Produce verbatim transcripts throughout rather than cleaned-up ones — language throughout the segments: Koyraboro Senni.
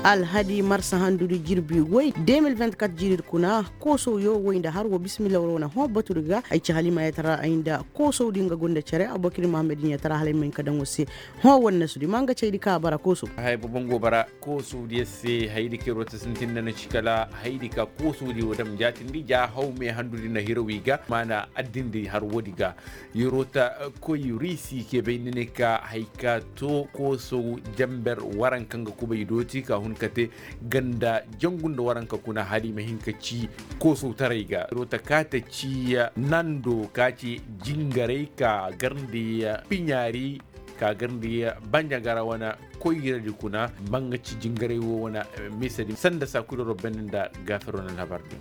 Alhadi marsa handudi jirbi woy de mil vingt-quatre jiiri di kuna. Koosowyo woy nda har wo bismillah war wane hõ batudi ga ay ci halima ya tara ay nda koosowdi nga gonda cere abokir muhammad ya tara hala ay ma hin ka daŋ war se. Hõ wannasudi ma nga caydi ka bara koosow. Haya bobo nga wo bara koosowdiyo se hayadi ka ir wo ta sintin nda na ci kala hayadi ka koosowdi wo dam jaatindi ja haw me handudi na hiraw i ga maana addindi har woodi ga. Yeroo ta koy riisi ke bay ni ne ka hay ka to koosow jamber waranka nga kubay dooti ka hun ka te ganda jangu nda waranka kuna hala i ma hin ka ci koosowtaray ga yeroo ta kaata ci nando ka ci jingaray ka garndi piɲaari ka garndi banjagara wane koyradi kuna. Manga ci jingaray wo wane misedi sanda saakudoro bandi nda gaafero na alhabar din.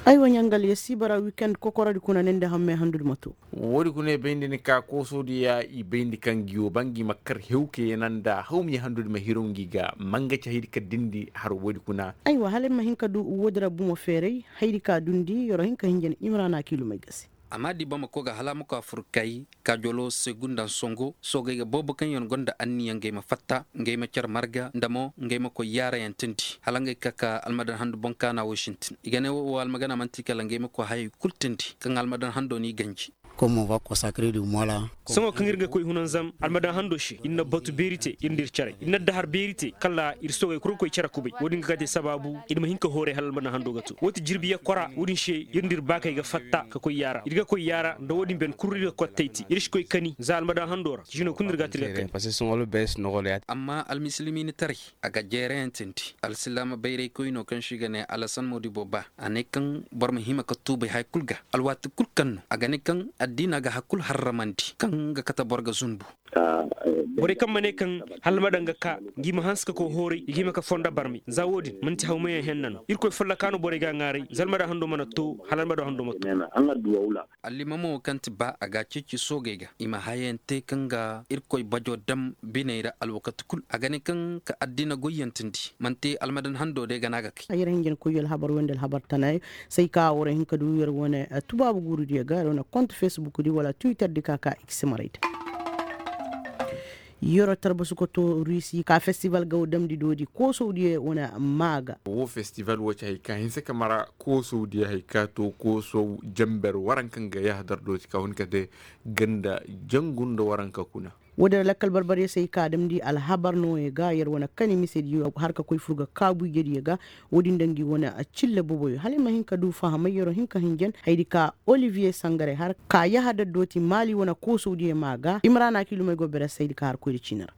Aywa ɲangal ya si bara wikend kokorodi kuna ne nda hammey handudi ma to. Woodi kuna i bayndi ni ka koosodiya i bayndi kaŋ gi wo ba ngi ma kar hewke yana nda hawmiya handudi ma hiraw ngi ga manga ci haydi ka dindi har woodi kuna. Aywa hala ay ma hin ka du woodi ra bumo feeray haydi ka dundi yoro hin ka hinja ni imrana kiilumey ga se. Amma di bamako ga hala a ma koy afurkay ka jolo segundan songo soogey ga boobo kaŋ yaŋ gonda anniya ngey ma fatta ngey ma care marga nda mo ngey ma koy yaarayaŋ tindi hala ngey ka ka almadan handu boŋ kaana wo sintin i ga ne wo almagana manti kala ngey ma koy hayey kulu tindi kaŋ almadan hando n'i ganji. Sohõ kaŋ ir ga koy hunanzam almadan hando se ir na batu beeri te ir nda ir care ir na dahar beeri te kala ir soogey kulu ga koy care kubay wo-din ga ka te sabaabu ir ma hin ka hooray hala almadan hando ga to wo ti jirbi yakkora wo-din se ir nda ir baakey ga fatta ka koy yaara ir ga koy yaara nda wo-din ben kulu ir ga kottay te ir si koy kani za almadan hando ra jino kulu no ir ga te ir ga kani. Amma almisilimiinitaray a ga jeerayaŋ tindi alsilaama bayraykoy no kaŋ se i ga ne alasan moodibo ba a ne kaŋ boro ma hima ka tuubay haya kulu ga alwaati kulu kaŋ no a ga ne kaŋ addiina ga haya kulu harramandi kaŋ ga kate boro ga zunbu. Borey kaŋ ma ne kaŋ hala almadan ga ka ngi ma hanse ka koy hooray i ga hima ka fonda barmay za wo-din manti hawmayaŋ henna no irkoy folloka no borey ga a ŋaaray za almadan hando mana to hala almadan hando ma to. Allimamo wo kaŋ ti ba a ga a ceeci soogey ga i ma hayayaŋ te kaŋ ga irkoy bajo dam biney ra alwakati kulu a ga ne kaŋ ka addiina goyyaŋ tindi manti almadan hando day ga no a ga kay. Ay ra hinjin koy alhabar wayndi alhabar tanayaŋ say ka war hin ka du yer wane tubaabu guurudiyo ga yer wane kont fesbukdi wala twitter di ka ka i ga simarayda. Yoro tarbasu ka to rusi ka festival gaw damdi doodi koosowdiyo wane maa ga. Wo festival wo ci hay ka hinse ka mara koosowdiyo hay ka to koosow jamber waranka nga yahadar dooti ka hun ka te ganda jangu nda waranka kuna. Wo-din ra lakkal barbaryo se ay ka damndi alhabar nooyo ga yer wane kani misediyo har ka koy fur ga kaabu ijediyo ga. Wo-din da ngi wane cille boboyo hala ay ma hin ka du fahamay yeroo hin ka hinjan haydi ka oliviye sangare har ka yahadar dooti maali wane koosowdiyo maa ga imrana kiilumey go bere se haydi ka har koyri ciini ra.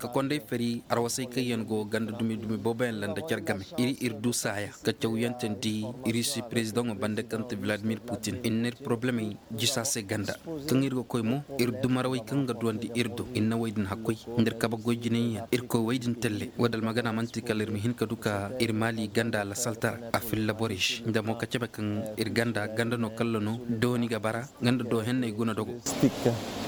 Ka konday fari arwasay kaŋ yaŋ go ganda dumi dumi booboyaŋ landa care game ir ir du saaya ka cawyaŋ tandi rusi perezidaŋo banda kaŋ ti vladimir putin ir na ir porobalemey jisa se ganda kaŋ ir ga koy mo ir dumarawey kaŋ ga duwandi ir do ir na wey din hakkoy nda ir kabe goy jinay yaŋ ir koy wey din talle wo-din almagana man'ti kala ir ma hin ka du ka ir maali ganda lasaltara a filla borey se nda mo ka cabe kaŋ ir ganda ganda no kalla no dooni ga bara ganda do henney guna dogo.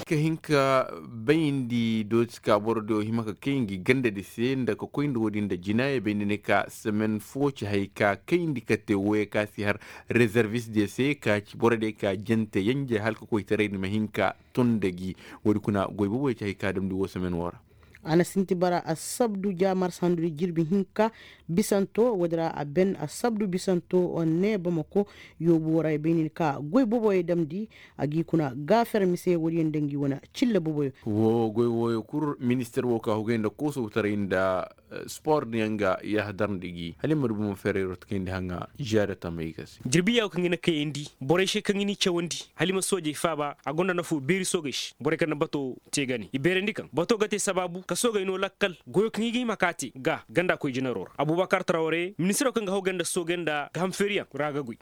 Ka hin ka bayndi dooti ka boro do hima ka kay ngi ganda di se nda ka koy nda wo-din nda jinaayey bayndi ne ka semen fo ci hay ka kayndi ka te woyey ka si har rezervis diyo se ka ci boro diyo ka jante yenje hala ka koytaray ni ma hin ka ton nda gi. Wo-din kuna goy booboyo ci hay ka damndi wo semen wo ra. A na sinti bara assabdu ja marsa handudi jirbi hinka bisanto wo-din ra a ben assabdu bisanto ne bamako yoobu wo ra i bay nin ka goy booboyo damndi a g'i kuna gaafer mise wo-din yaŋ nda ngi wane cille booboyo. Wo goy wooyo kul minister wo ka hugay nda koosowtaray nda sport yaŋ ga yahadar nda gi hala i ma du bomo feerayro ta kayndi haŋa ziyaada tamey ga se. Jirbi yaawo kaŋ i na kayandi borey se kaŋ i n'i cawandi hala i ma soojey faaba a gonda nafo beeri soogey se borey kaŋ na bato te ga ne i beerandi kaŋ bato ga te sabaabu ka soogey no lakkal goyo kaŋ i ga hima ka te ga ganda koy jinaro ra abubakar trawre ministiro kaŋ ga hawgay nda soogey nda gahamfeeriyaŋ ra ga goy.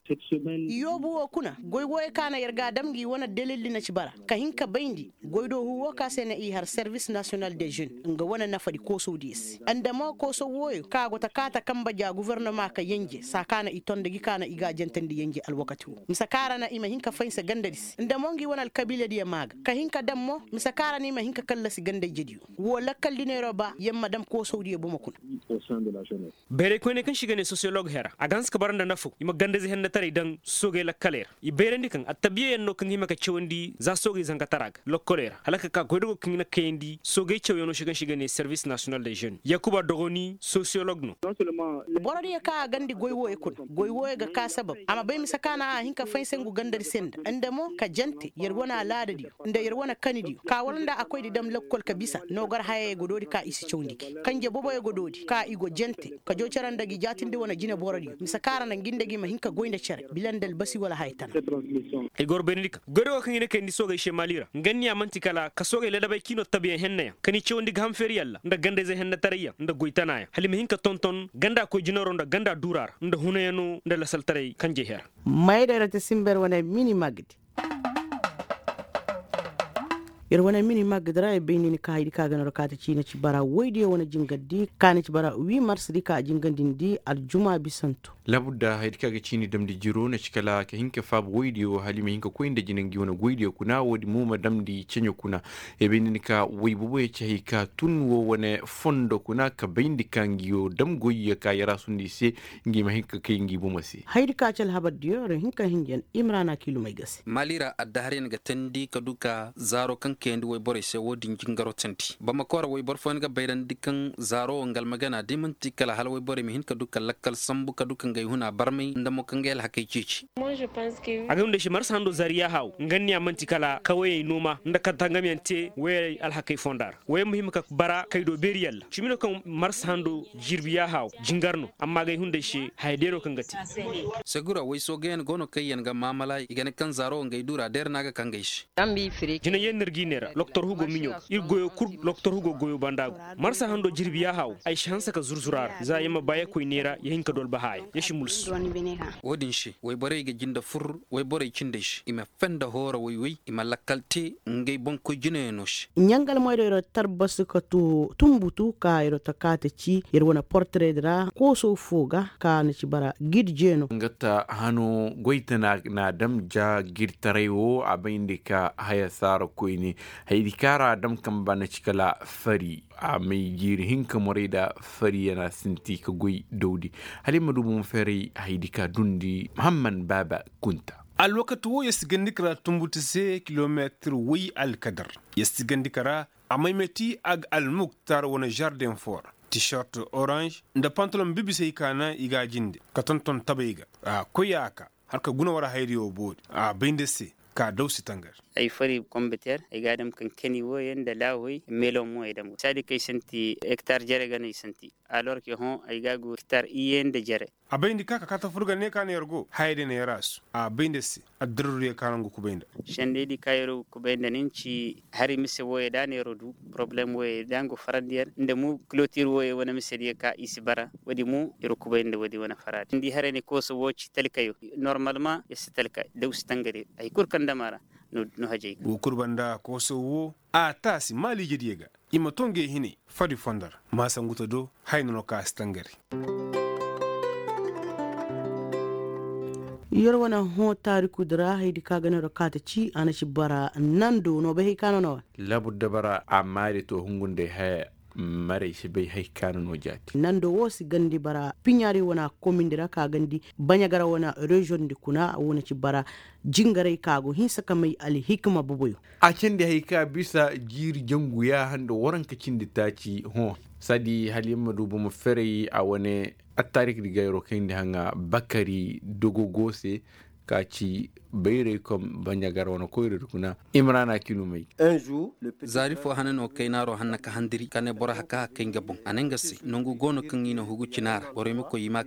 Yoobu wo kuna goy wooyo ka na yer ga a dam ngi wane dalildi na ci bara ka hin ka bayndi goydoohu wo ka se na i har servis nasiyonal de jeune nga wane nafadi koosowdiyo se nda Mo kooso wooyo ka go ta kaata kanba ja gofornoma ka yenje saa ka na i ton nda gi ka na i ga a jantandi yenje alwakati woo mise ka ra na i ma hin ka faynse gandadi se nda mo ngi wane alkabiiladiyo maa ga ka hin ka daŋ mo mise ka ra na i ma hin ka kallasi ganda-ijediyo. Woo lakkal di neeroo ba yer ma daŋ koosowdiyo bomo kuna. Bayraykoyney kaŋ se i ga nee sosiyolog hera a ga hanse ka bara nda nafaw i ma ganda-ize hennataray daŋ soogey lakkaley ra. I bayrandi kaŋ attabiyayaŋ no kaŋ ga hima ka cawandi za soogey zankataraa ga lokkoley ra hala ka ka goydogo kaŋ i na kayandi soogey cawyaŋo se kaŋ se i ga nee servis nasiyonal de žen yakuba dogoni sosiyolog no. Borodiyo kaŋ a gandi goy wooyo kuna goy wooyo ga ka sabab a ma bay mise ka na a hin ka faynse ngu gandadi se nda nda mo ka jante yer wane alaadadiyo nda yer wane kanidiyo ka wala nda a koy di dam lokkol ka bisa noogar hayey go doodi ka i si cawndi gi kanje boboyo go doodi ka i go jante ka joo cere nda gi jaatindi wane jineborodiyo mise ka ra na ngi nda gi ma hin ka goy nda cere bila nda albasi wala haya tana. Ay goro bayrandi kaŋ goydogo kaŋ i na kayandi soogey se maali ra nga niya man'ti kala ka soogey ladabey ciino tabiyaŋ hennayaŋ ka n'i cawandi ga ham feeri yalla nda ganda-ize hennatarayyaŋ nda goy tanaayaŋ hala i ma hin ka tonton ganda koy jinaroo nda ganda duuraa ra nda hunayaŋo nda lasaltaray kanjey hera. Mayday ra ti sinba yer wane mini magdi. Yer wane mini magdi ra yer bay ni ni ka haydi ka ga no ra ka ta ciina ci bara woydiyo wane jingardi ka ni ci bara wi marsadi ka a jingandindi aljuma bisanto. Labudda haydi ka ga ciini damndi jiro na ci kala ka hin ka faabu woydiyo hala i ma hin ka koy nda jina ngi wane goydiyo kuna woodin mo ma damndi ceɲe kuna. Yer bay ni ni ka woy boboyo ci hay ka tun wo wane fondo kuna ka bayndi ka ngi wo dam goyyo ka yer a sundi i se ngi ma hin ka kay ngi bomo se. Haydi ka ci alhabardiyo yer hin ka hinjan imrana kiilumey ga se. Maali ra addaharyaŋ ga teendi ka du ka zaaro kaŋ kayandi woyborey se wo-din jingaro teendi bamako ra woyboro fooyaŋ ga bayrandi kaŋ zaaro wo nga almagana da i man'ti kala hala woyborey ma hin ka du ka lakkal sambu ka du ka ngey huna barmay nda mo ka ngey alhakey ceeci. Agay hunday se marsa hando zaari yaaha wo nga niya man'ti kala ka woyey nooma nda ka tangamiyaŋ te woyey alhakey fonda ra woyey ma hima ka bara kay do beeri yalla cimi no kaŋ marsa hando jirbi yaaha wo jingar no amma agay hunday se haya deero kaŋ ga te. Segura woy soogayaŋ go no kaŋ yaŋ ga maamala i ga ne kaŋ zaaro wo ngey duura deera no a ga ka ngey se. Jinay yaŋ no ir g'i neera loktor hugo miɲo ir goyo kul loktor hugo goyo banda go marsa hando jirbi yaaha wo ay si hanse ka zurzura ra za ya ma ba ya koy neera ya hin ka dolba haya ya si mulsu. Wo-din se woyborey ga jinde fur woyborey cindey se i ma fenda hoora woy-woy i ma lakkal te ngey boŋkoy jinayaŋo se. Ɲangal moydey ra tarbasi ka tumbutu ka yer ta kaate ci yer wane porteredi ra kooso fo ga ka na ci bara gid jeeno. Nga ta hano goy tana na dam ja girtaray wo a bayndi ka haya saara koyne. Haydi ka ra dam kamba na ci kala fari a may jiiri hinka morey da fari yana sinti ka goy dawdi. Hala ay ma du bomo feeray haydi ka dundi muhamman baaba kunta. Alwakati wo yer si gandi ka ra tumbuti se kilometir woy alkadar. Yer si gandi ka ra a may meti a ga almuktar wane žardeŋ fo ra tishort oranž nda pantaloŋ bibisey ka naŋ i ga a jinde ka tonton tabey ga. A koy a ka hala ka guna war hayriyo boori a bay nda se ka daw si tangari. Ay fari kombeter ay ga a dam kankani wooyaŋ nda laahoy meloŋ mo ay dam saadi kaŋ ay santi hektar jere ga no ay santi. Alor ke hõ ay ga a go hektar iyye nda jere. A bay nda ka ka kaata fur ga ne ka na yer go hayey day na yer a su a bay nda se. Addirruriyo ka no nga kubay nda. Sendey di ka yer go kubay nda nin ci hari mise wooyey da no yer du porobalem wooyey da nga go farandi yer nda mo kilotir wooyey wane misediyo ka i si bara. Woodi mo yer go kubay nda woodi wane faraadi ni di haray ne kooso woo ci talkayo. Normalma yer si talka daw si tangari hay kul kaŋ dam a ra. No hajay ga wo kul banda kooso woo a taasi maaliijediyo ga. I ma to ngey hinay fari fondo ra ma sangu ta do haya no no ka a si tangari. Yer wane hõ taarikudi ra hayadi ka ga no ra ka ta ci a na ci bara nando no bay hay ka no no wa. Labur da bara amma day to hungu nda ay haya. Maray si bay hay ka no no jaati nando wo si gandi bara piɲaari wane komindi ra ka gandi baɲagara wane reziyoŋ di kuna wo na ci bara jingaray ka go hinsa ka may alhikima boboyo. A cindi hay ka bisa jiiri jangu yaaha nda waranka cindi taaci hõ. Saadi hala yer ma du bomo feray a wane attaarik di gayro kayndi haŋa bakari dogogo se. Ka ci bayray kom baɲagar wane koyradi kuna. Imrana kinumay. Zaari fo hane no kaynaaro hanna ka handiri ka ne boro haka hakay nga boŋ a ne nga se nangu go no kaŋ i na hugu cina ra borey ma koy i ma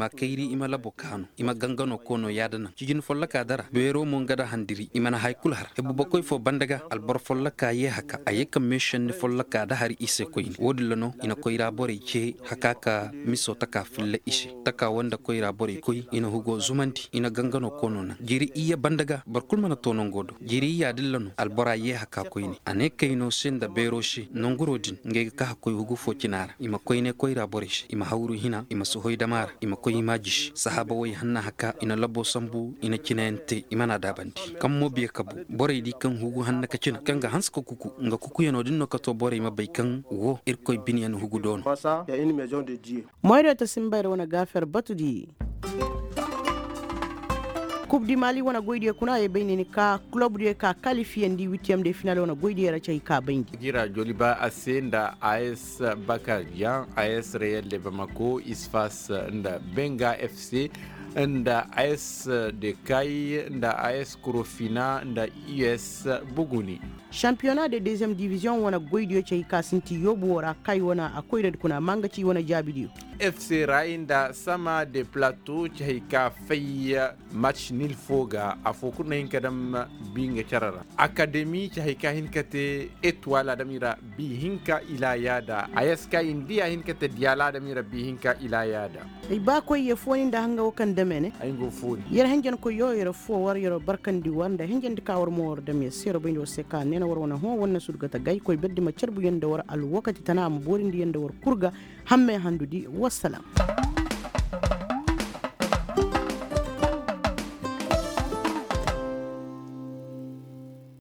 a kayri i ma labo kaanu i ma gangano koono yaada naŋ cijin folloka dara beero mo nga da handiri i mana hay kulu har hebubakoy fo banda ga alboro folloka ye haka a ye ka meesenni folloka da hari i se koyne wo- din ra no i na koyra borey ce haka ka miso taka filla i se taka wo nda koyra borey koy i na hugo zumandi i na gangano. Jiiri iyye banda ga boro kul mana too nangoo do. Jiiri iyya dilla no albora yee haka koyne a ne kayno se nda beeroo se nanguroo din ngey ga ka hakkoy hugu foo cina ra i ma koyne koyra borey se i ma hawru hina i ma si hoy dama ra i ma koy i ma a jisi sahaaba woy hanna haka i na laboo sambu i na cinayaŋ te i mana a daabandi. Kaŋ mo biya kabu borey di kaŋ hugu hanna ka cina kaŋ ga hanse ka kuku nga kukuyanoo din no ka too borey ma bay kaŋ woo irkoy bineyaŋ hugu do no. Moyreeta sinbayra wane gaafer batu di. Kub di mali wane goydiyo kuna ye bay ne ni ka kulobdiyo ka kalifiyandi witiyam de final wane goydiyo ra cay ka bayndi. Gira joliba a se nda a s bakar yan a s reyel de bamako isfas nda benga fc nda a s de kay nda a s kurofina nda u s buguni. Sampiyona de deziyem diviziyoŋ wane goydiyo cay ka sinti yoobu woo ra kay wane a koyradi kuna manga ci wane jaabidiyo. Fc ra i nda sama de plato cay ka fay match nil foo ga afoo kul na hin ka dam bi nga cere ra. Akademi cay ka hin ka te etwal adami ra bi hinka ilaa yaada a s ka i nda ya hin ka te diyala adami ra bi hinka ilaa yaada. Ay ba koy ye fooni nda hanga wo kaŋ dame ne. Ay nga wo fooni. Yer henjenkoy yo yer foo war yer barkandi war nda henjendi ka war mo war dame se yer bayndi war se ka neena war wane hõ war na surgata gay koy berdi ma carbu yer nda war alwakati tana a ma boorindi yer nda war kul ga. Hamme handudi wassalam.